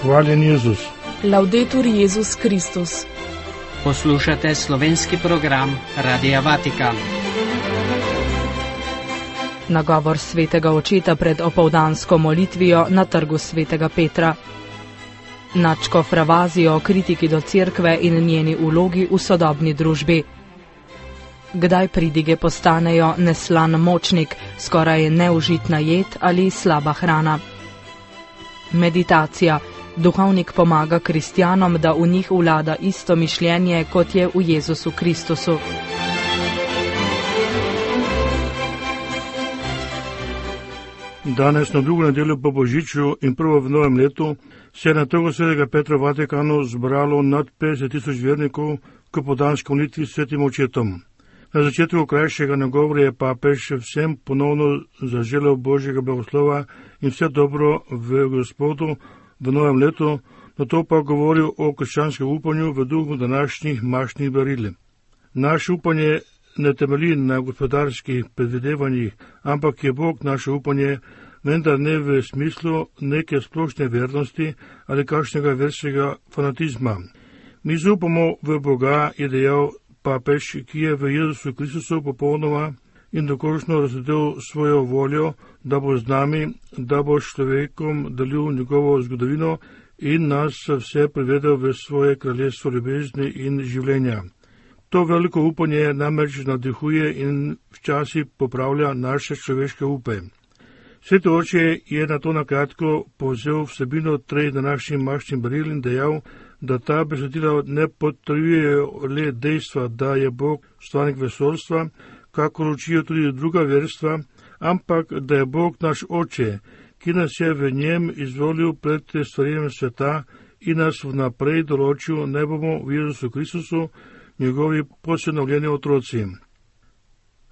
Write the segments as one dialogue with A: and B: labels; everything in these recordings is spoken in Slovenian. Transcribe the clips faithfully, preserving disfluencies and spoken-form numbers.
A: Hvaljen Jezus.
B: Laudetur Jezus Kristus.
C: Poslušate slovenski program Radia Vatikan.
B: Nagovor svetega očeta pred opoldansko molitvijo na trgu svetega Petra. Nadškof Ravazio o kritiki do cerkve in njeni vlogi v sodobni družbi. Kdaj pridige postanejo neslan močnik, skoraj neužitna jed ali slaba hrana? Meditacija. Duhovnik pomaga kristjanom, da v njih vlada isto mišljenje, kot je v Jezusu Kristusu.
A: Danes na drugo nedeljo po Božiču in prvo v novem letu se je na trgu svetega Petra v Vatikanu zbralo nad petdeset tisoč vernikov k opoldanski molitvi s svetim očetom. Na začetku krajšega nagovora je papež vsem ponovno zaželel Božjega blagoslova in vse dobro v Gospodu v novem letu, nato pa govoril o krščanskem upanju v duhu današnjih mašnih daril. Naše upanje ne temelji na gospodarskih predvidevanjih, ampak je Bog naše upanje, vendar ne v smislu neke splošne vernosti ali kakšnega verskega fanatizma. Mi zaupamo v Boga, je dejal papež, ki je v Jezusu Kristusu popolnoma in dokončno razsvetil svojo voljo, da bo z nami, da bo s človekom delil njegovo zgodovino in nas vse privedel v svoje kraljestvo ljubezni in življenja. To veliko upanje namreč navdihuje in včasih popravlja naše človeške upe. Sveti oče je na to nakratko povzel vsebino treh današnjih mašnih daril in dejal, da ta besedila ne potrjujejo le dejstva, da je Bog stvarnik vesoljstva, kakor učijo tudi druga verstva, ampak da je Bog naš oče, ki nas je v njem izvolil pred stvarjenjem sveta in nas vnaprej določil, ne bomo v Jezusu Kristusu njegovi posinovljeni otroci.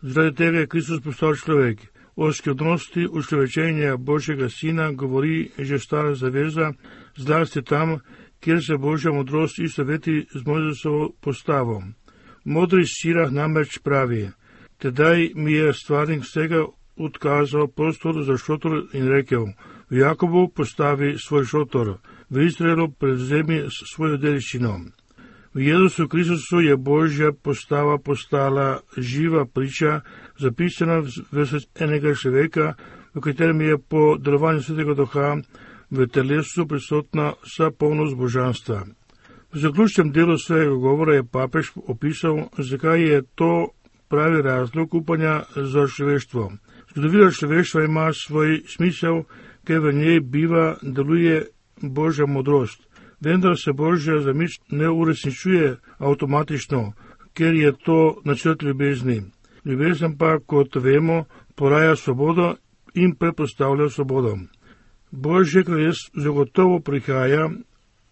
A: Zaradi tega je Kristus postal človek. O skrivnosti učlovečenja Božjega sina govori že stara zaveza, zlasti tam, kjer se Božja modrost istoveti z Mojzesovo postavo. Modri Sirah namreč pravi: tedaj mi je stvarnik vsega odkazal prostor za šotor in rekel: v Jakobu postavi svoj šotor, v Izraelu prevzemi svojo dediščino. V Jezusu Kristusu je Božja postava postala živa priča, zapisana v srcu enega človeka, v katerem je po delovanju Svetega Duha v telesu prisotna vsa polnost božanstva. V zaključnem delu svojega govora je papež opisal, zakaj je to pravi razlog upanja za človeštvo. Zgodovina človeštva ima svoj smisel, ker v njej biva, deluje Božja modrost. Vendar se Božja zamisel ne uresničuje avtomatično, ker je to načrt ljubezni. Ljubezen pa, kot vemo, poraja svobodo in predpostavlja svobodo. Božje kraljestvo zagotovo prihaja,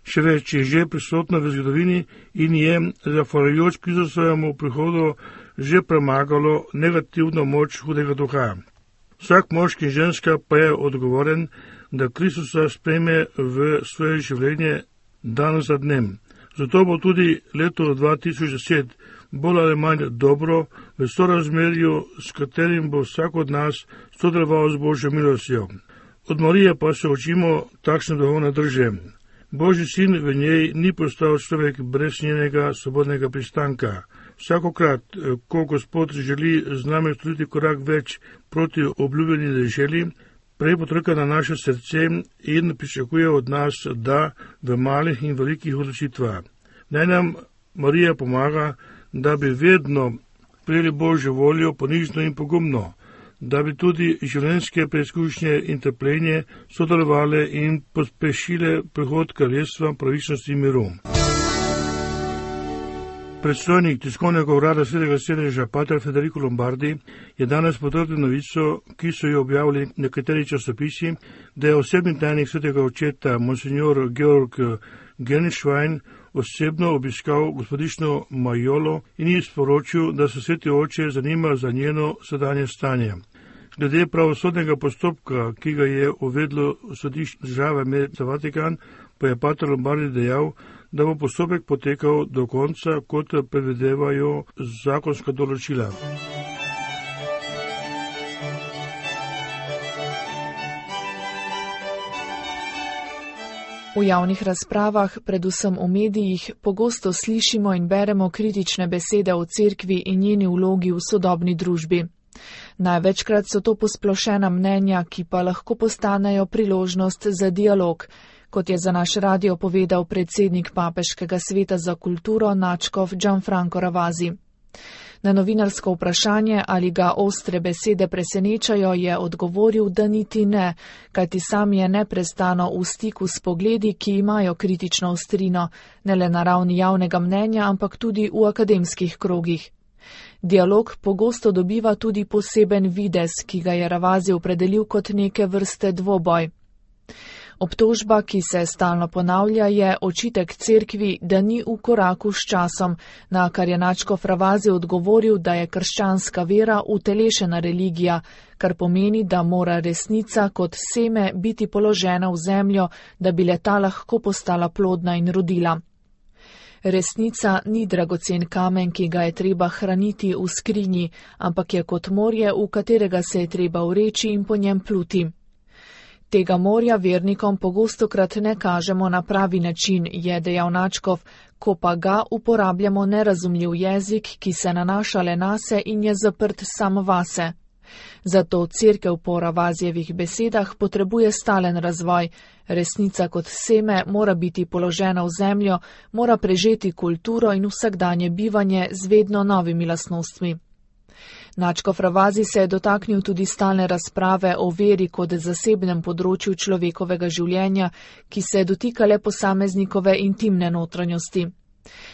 A: še več je že prisotno v zgodovini in je, zahvaljujoč Kristusovemu prihodu, že premagalo negativno moč hudega duha. Vsak moški in ženska pa je odgovoren, da Kristusa sprejme v svoje življenje dan za dnem. Zato bo tudi leto dva tisoč deset bolj ali manj dobro v sorazmerju, s katerim bo vsak od nas sodeloval z Božjo milostjo. Od Marije pa se učimo takšne duhovne drže. Božji sin v njej ni postal človek brez njenega svobodnega pristanka. Vsakokrat, ko Gospod želi z nami storiti korak več proti obljubljeni deželi, prej potrka na naše srce in pričakuje od nas, da v malih in velikih odločitvah. Naj nam Marija pomaga, da bi vedno prijeli Božjo voljo ponižno in pogumno, da bi tudi življenjske preizkušnje in trpljenje sodelovale in pospešile prihod kraljestva pravičnosti in miru. Predstojnik tiskovnega urada svetega sedeža pater Federico Lombardi je danes potrdil novico, ki so jo objavili nekateri časopisi, da je osebni tajnik svetega očeta monsignor Georg Genšvajn osebno obiskal gospodično Majolo in ji sporočil, da se sveti oče zanima za njeno sedanje stanje. Glede pravosodnega postopka, ki ga je uvedlo sodišče države med Vatikan, pa je pater Lombardi dejal, da bo postopek potekal do konca, kot predvidevajo zakonska določila.
D: V javnih razpravah, predvsem v medijih, pogosto slišimo in beremo kritične besede o cerkvi in njeni vlogi v sodobni družbi. Največkrat so to posplošena mnenja, ki pa lahko postanejo priložnost za dialog, kot je za naš radio povedal predsednik Papeškega sveta za kulturo nadškof Gianfranco Ravasi. Na novinarsko vprašanje, ali ga ostre besede presenečajo, je odgovoril, da niti ne, kajti sam je neprestano v stiku s pogledi, ki imajo kritično ostrino, ne le na ravni javnega mnenja, ampak tudi v akademskih krogih. Dialog pogosto dobiva tudi poseben videz, ki ga je Ravasi opredelil kot neke vrste dvoboj. Obtožba, ki se stalno ponavlja, je očitek cerkvi, da ni v koraku s časom, na kar je nadškof Ravasi odgovoril, da je krščanska vera utelešena religija, kar pomeni, da mora resnica kot seme biti položena v zemljo, da bi leta lahko postala plodna in rodila. Resnica ni dragocen kamen, ki ga je treba hraniti v skrinji, ampak je kot morje, v katerega se je treba vreči in po njem pluti. Tega morja vernikom pogostokrat ne kažemo na pravi način, je dejal nadškof, ko pa ga uporabljamo nerazumljiv jezik, ki se nanaša le nase in je zaprt sam vase. Zato cerkev po Ravasijevih besedah potrebuje stalen razvoj. Resnica kot seme mora biti položena v zemljo, mora prežeti kulturo in vsakdanje bivanje z vedno novimi lastnostmi. Nadškof Ravasi se je dotaknil tudi stalne razprave o veri kot zasebnem področju človekovega življenja, ki se dotika le posameznikove intimne notranjosti.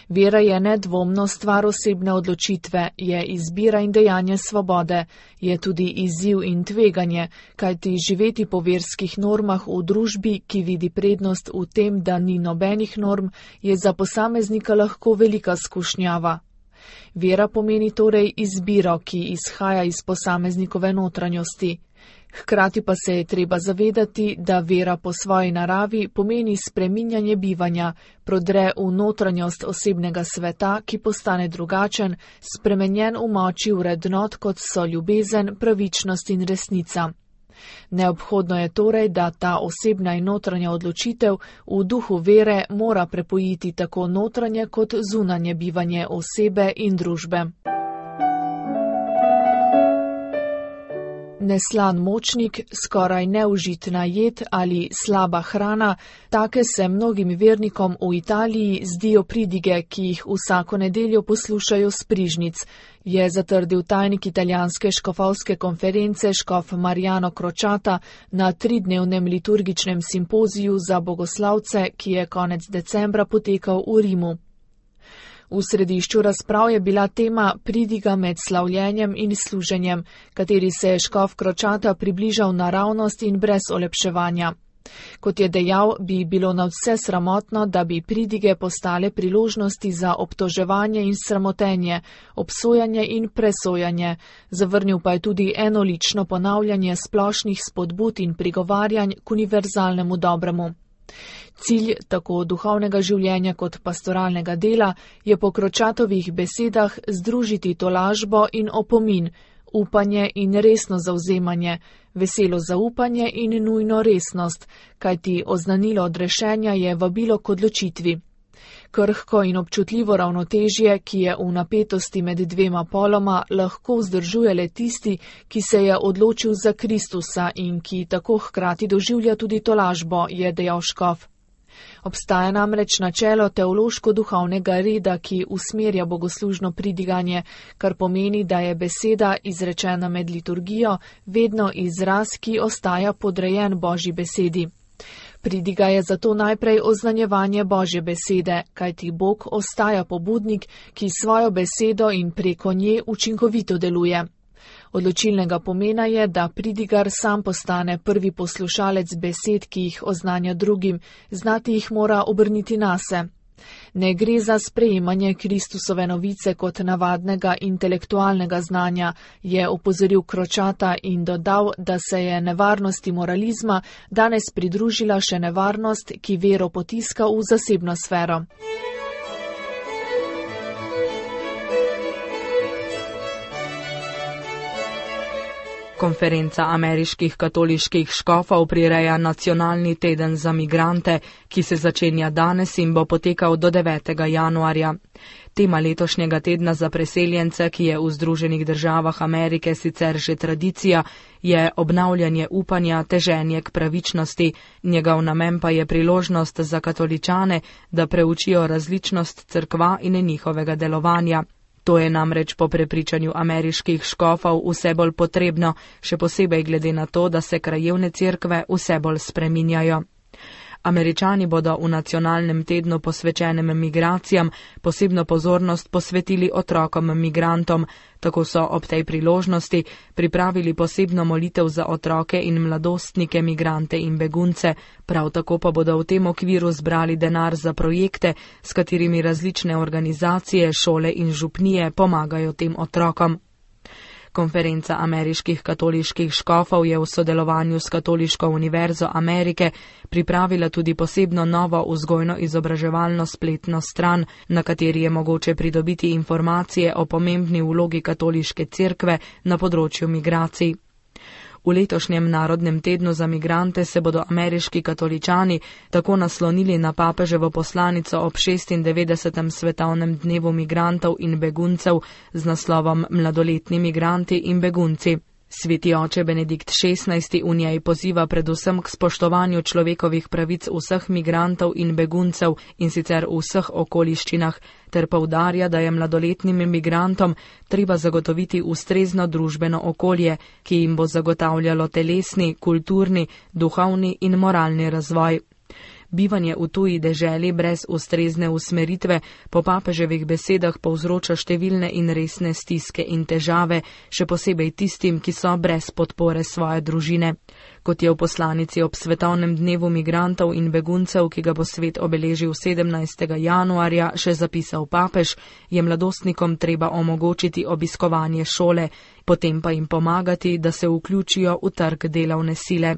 D: Vera je nedvomno stvar osebne odločitve, je izbira in dejanje svobode, je tudi izziv in tveganje, kajti živeti po verskih normah v družbi, ki vidi prednost v tem, da ni nobenih norm, je za posameznika lahko velika skušnjava. Vera pomeni torej izbiro, ki izhaja iz posameznikove notranjosti. Hkrati pa se je treba zavedati, da vera po svoji naravi pomeni spreminjanje bivanja, prodre v notranjost osebnega sveta, ki postane drugačen, spremenjen v moči vrednot, kot so ljubezen, pravičnost in resnica. Neobhodno je torej, da ta osebna in notranja odločitev v duhu vere mora prepojiti tako notranje kot zunanje bivanje osebe in družbe. Neslan močnik, skoraj neužitna jed ali slaba hrana, take se mnogim vernikom v Italiji zdijo pridige, ki jih vsako nedeljo poslušajo s prižnic, je zatrdil tajnik italijanske škofovske konference škof Mariano Crociata na tridnevnem liturgičnem simpoziju za bogoslavce, ki je konec decembra potekal v Rimu. V središču razprav je bila tema pridiga med slavljenjem in služenjem, kateri se je škof Crociata približal naravnost in brez olepševanja. Kot je dejal, bi bilo nadvse sramotno, da bi pridige postale priložnosti za obtoževanje in sramotenje, obsojanje in presojanje, zavrnil pa je tudi enolično ponavljanje splošnih spodbud in prigovarjanj k univerzalnemu dobremu. Cilj tako duhovnega življenja kot pastoralnega dela je po Crociatovih besedah združiti tolažbo in opomin, upanje in resno zavzemanje, veselo zaupanje in nujno resnost, kajti oznanilo odrešenja je vabilo k odločitvi. Krhko in občutljivo ravnotežje, ki je v napetosti med dvema poloma, lahko vzdržuje le tisti, ki se je odločil za Kristusa in ki tako hkrati doživlja tudi tolažbo, je dejal škof. Obstaja namreč načelo teološko-duhovnega reda, ki usmerja bogoslužno pridiganje, kar pomeni, da je beseda, izrečena med liturgijo, vedno izraz, ki ostaja podrejen Božji besedi. Pridiga je zato najprej oznanjevanje Božje besede, kajti Bog ostaja pobudnik, ki svojo besedo in preko nje učinkovito deluje. Odločilnega pomena je, da pridigar sam postane prvi poslušalec besed, ki jih oznanja drugim, znati jih mora obrniti nase. Ne gre za sprejemanje Kristusove novice kot navadnega intelektualnega znanja, je opozoril Crociata in dodal, da se je nevarnosti moralizma danes pridružila še nevarnost, ki vero potiska v zasebno sfero.
B: Konferenca ameriških katoliških škofov prireja nacionalni teden za migrante, ki se začenja danes in bo potekal do devetega januarja. Tema letošnjega tedna za preseljence, ki je v Združenih državah Amerike sicer že tradicija, je obnavljanje upanja, teženje k pravičnosti. Njegov namen pa je priložnost za katoličane, da preučijo različnost cerkva in njihovega delovanja. To je namreč po prepričanju ameriških škofov vse bolj potrebno, še posebej glede na to, da se krajevne cerkve vse bolj spreminjajo. Američani bodo v nacionalnem tednu posvečenem migracijam posebno pozornost posvetili otrokom migrantom, tako so ob tej priložnosti pripravili posebno molitev za otroke in mladostnike, migrante in begunce, prav tako pa bodo v tem okviru zbrali denar za projekte, s katerimi različne organizacije, šole in župnije pomagajo tem otrokom. Konferenca ameriških katoliških škofov je v sodelovanju s Katoliško univerzo Amerike pripravila tudi posebno novo vzgojno-izobraževalno spletno stran, na kateri je mogoče pridobiti informacije o pomembni vlogi katoliške cerkve na področju migracij. V letošnjem Narodnem tednu za migrante se bodo ameriški katoličani tako naslonili na papeževo poslanico ob šestindevetdesetem svetovnem dnevu migrantov in beguncev z naslovom Mladoletni migranti in begunci. Sveti oče Benedikt šestnajsti v njej poziva predvsem k spoštovanju človekovih pravic vseh migrantov in beguncev in sicer v vseh okoliščinah, ter poudarja, da je mladoletnim migrantom treba zagotoviti ustrezno družbeno okolje, ki jim bo zagotavljalo telesni, kulturni, duhovni in moralni razvoj. Bivanje v tuji deželi brez ustrezne usmeritve po papeževih besedah povzroča številne in resne stiske in težave, še posebej tistim, ki so brez podpore svoje družine. Kot je v poslanici ob svetovnem dnevu migrantov in beguncev, ki ga bo svet obeležil sedemnajstega januarja, še zapisal papež, je mladostnikom treba omogočiti obiskovanje šole, potem pa jim pomagati, da se vključijo v trg delovne sile.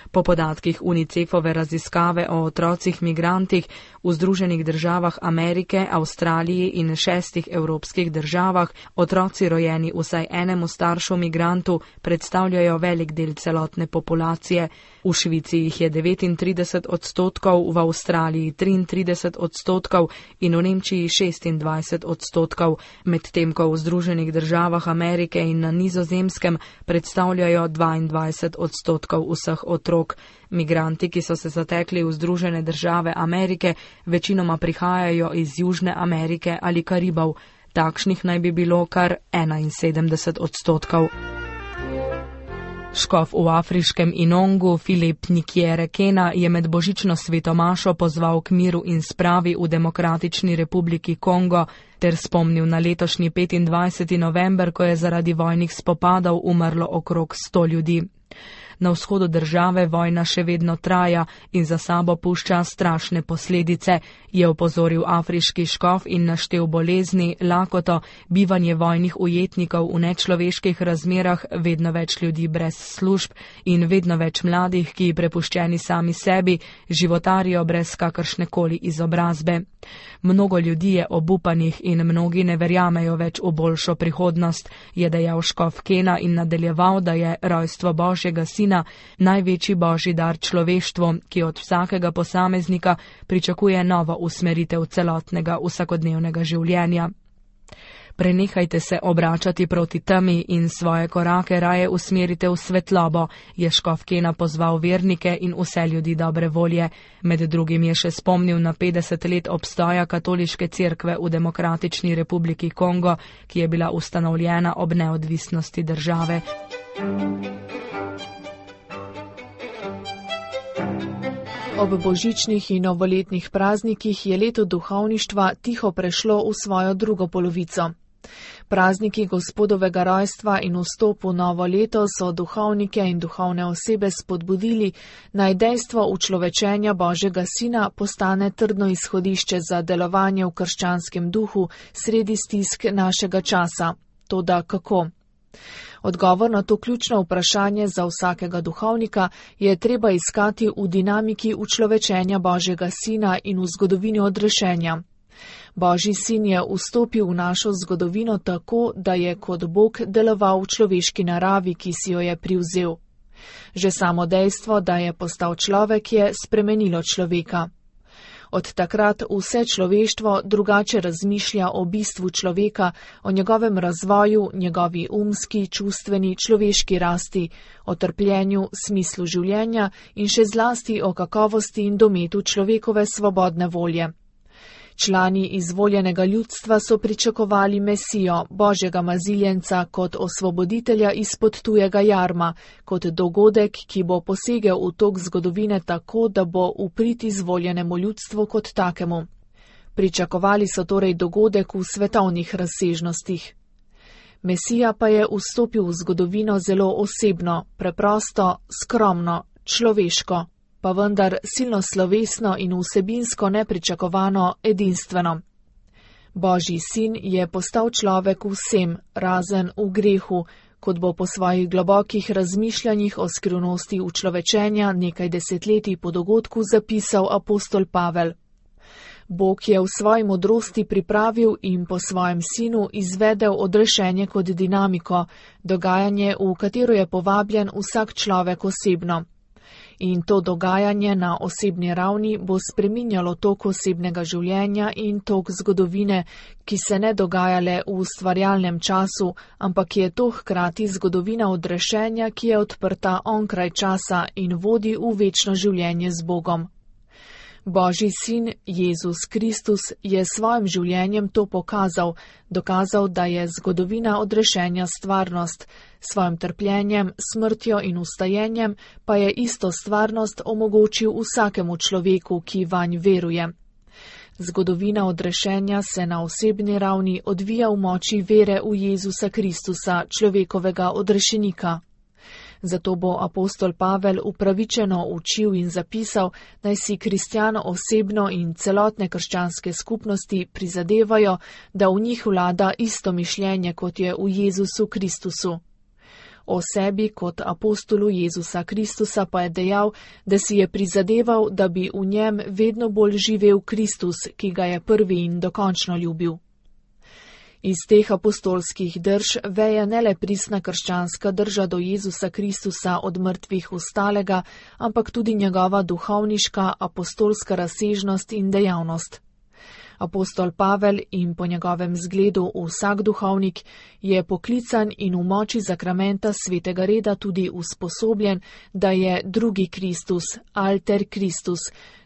B: Po podatkih UNICEF-ove raziskave o otrocih migrantih v Združenih državah Amerike, Avstraliji in šestih evropskih državah, otroci rojeni vsaj enemu staršu migrantu predstavljajo velik del celotne populacije. V Švici jih je devetintrideset odstotkov, v Avstraliji triintrideset odstotkov in v Nemčiji šestindvajset odstotkov, medtem ko v Združenih državah Amerike in na Nizozemskem predstavljajo dvaindvajset odstotkov vseh otrok. Migranti, ki so se zatekli v Združene države Amerike, večinoma prihajajo iz Južne Amerike ali Karibov. Takšnih naj bi bilo kar enainsedemdeset odstotkov. Škof v afriškem Inongu Filip Nikjere Kena je med božično svetomašo pozval k miru in spravi v Demokratični republiki Kongo ter spomnil na letošnji petindvajseti november, ko je zaradi vojnih spopadov umrlo okrog sto ljudi. Na vzhodu države vojna še vedno traja in za sabo pušča strašne posledice, je opozoril afriški škof in naštel bolezni, lakoto, bivanje vojnih ujetnikov v nečloveških razmerah, vedno več ljudi brez služb in vedno več mladih, ki prepuščeni sami sebi, životarijo brez kakršnekoli izobrazbe. Mnogo ljudi je obupanih in mnogi ne verjamejo več v boljšo prihodnost, je dejal škof Kena in nadaljeval, da je rojstvo Božjega sina največji božji dar človeštvu, ki od vsakega posameznika pričakuje novo usmeritev celotnega vsakodnevnega življenja. Prenehajte se obračati proti temi in svoje korake raje usmerite v svetlobo, je škof Kena pozval vernike in vse ljudi dobre volje. Med drugim je še spomnil na petdeset let obstoja katoliške cerkve v Demokratični republiki Kongo, ki je bila ustanovljena ob neodvisnosti države.
D: Ob božičnih in novoletnih praznikih je leto duhovništva tiho prešlo v svojo drugo polovico. Prazniki Gospodovega rojstva in vstop v novo leto so duhovnike in duhovne osebe spodbudili, naj dejstvo učlovečenja Božjega sina postane trdno izhodišče za delovanje v krščanskem duhu sredi stisk našega časa. Toda kako? Odgovor na to ključno vprašanje za vsakega duhovnika je treba iskati v dinamiki učlovečenja Božjega sina in v zgodovini odrešenja. Božji sin je vstopil v našo zgodovino tako, da je kot Bog deloval v človeški naravi, ki si jo je privzel. Že samo dejstvo, da je postal človek, je spremenilo človeka. Od takrat vse človeštvo drugače razmišlja o bistvu človeka, o njegovem razvoju, njegovi umski, čustveni, človeški rasti, o trpljenju, smislu življenja in še zlasti o kakovosti in dometu človekove svobodne volje. Člani izvoljenega ljudstva so pričakovali Mesijo, Božjega maziljenca, kot osvoboditelja izpod tujega jarma, kot dogodek, ki bo posegel v tok zgodovine tako, da bo v prid izvoljenemu ljudstvu kot takemu. Pričakovali so torej dogodek v svetovnih razsežnostih. Mesija pa je vstopil v zgodovino zelo osebno, preprosto, skromno, človeško, pa vendar silno slovesno in vsebinsko nepričakovano, edinstveno. Božji sin je postal človek vsem, razen v grehu, kot bo po svojih globokih razmišljanjih o skrivnosti učlovečenja nekaj desetletij po dogodku zapisal apostol Pavel. Bog je v svoji modrosti pripravil in po svojem sinu izvedel odrešenje kot dinamiko, dogajanje, v katero je povabljen vsak človek osebno. In to dogajanje na osebni ravni bo spreminjalo tok osebnega življenja in tok zgodovine, ki se ne dogaja le v ustvarjalnem času, ampak je to hkrati zgodovina odrešenja, ki je odprta onkraj časa in vodi v večno življenje z Bogom. Božji sin, Jezus Kristus, je s svojim življenjem to pokazal, dokazal, da je zgodovina odrešenja stvarnost, s svojim trpljenjem, smrtjo in vstajenjem pa je isto stvarnost omogočil vsakemu človeku, ki vanj veruje. Zgodovina odrešenja se na osebni ravni odvija v moči vere v Jezusa Kristusa, človekovega odrešenika. Zato bo apostol Pavel upravičeno učil in zapisal, naj si kristjan osebno in celotne krščanske skupnosti prizadevajo, da v njih vlada isto mišljenje, kot je v Jezusu Kristusu. O sebi kot apostolu Jezusa Kristusa pa je dejal, da si je prizadeval, da bi v njem vedno bolj živel Kristus, ki ga je prvi in dokončno ljubil. Iz teh apostolskih drž veje ne le pristna krščanska drža do Jezusa Kristusa od mrtvih vstalega, ampak tudi njegova duhovniška apostolska razsežnost in dejavnost. Apostol Pavel in po njegovem zgledu vsak duhovnik je poklican in v moči zakramenta svetega reda tudi usposobljen, da je drugi Kristus, alter Kristus,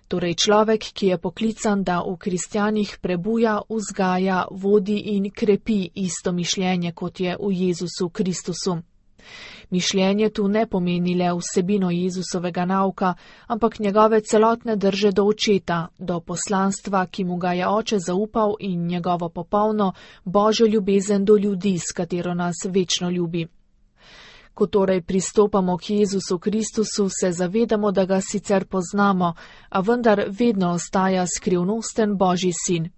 D: torej človek, ki je poklican, da v kristjanih prebuja, vzgaja, vodi in krepi isto mišljenje, kot je v Jezusu Kristusu. Mišljenje tu ne pomeni le vsebino Jezusovega nauka, ampak njegove celotne drže do očeta, do poslanstva, ki mu ga je oče zaupal, in njegovo popolno božjo ljubezen do ljudi, s katero nas večno ljubi. Ko torej pristopamo k Jezusu Kristusu, se zavedamo, da ga sicer poznamo, a vendar vedno ostaja skrivnosten Božji sin.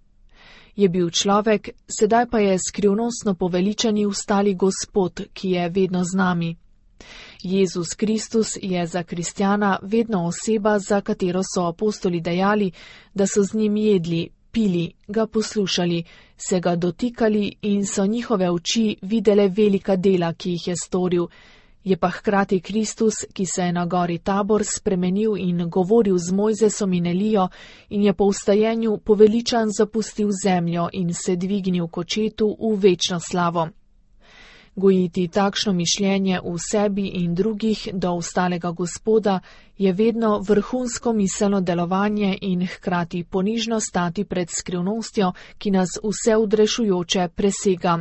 D: Je bil človek, sedaj pa je skrivnostno poveličani vstali Gospod, ki je vedno z nami. Jezus Kristus je za kristjana vedno oseba, za katero so apostoli dejali, da so z njim jedli, pili, ga poslušali, se ga dotikali in so njihove oči videle velika dela, ki jih je storil. Je pa hkrati Kristus, ki se je na gori Tabor spremenil in govoril z Mojzesom in Elijo in je po vstajenju poveličan zapustil zemljo in se dvignil k očetu v večno slavo. Gojiti takšno mišljenje v sebi in drugih do vstalega Gospoda je vedno vrhunsko miselno delovanje in hkrati ponižno stati pred skrivnostjo, ki nas vse odrešujoče presega.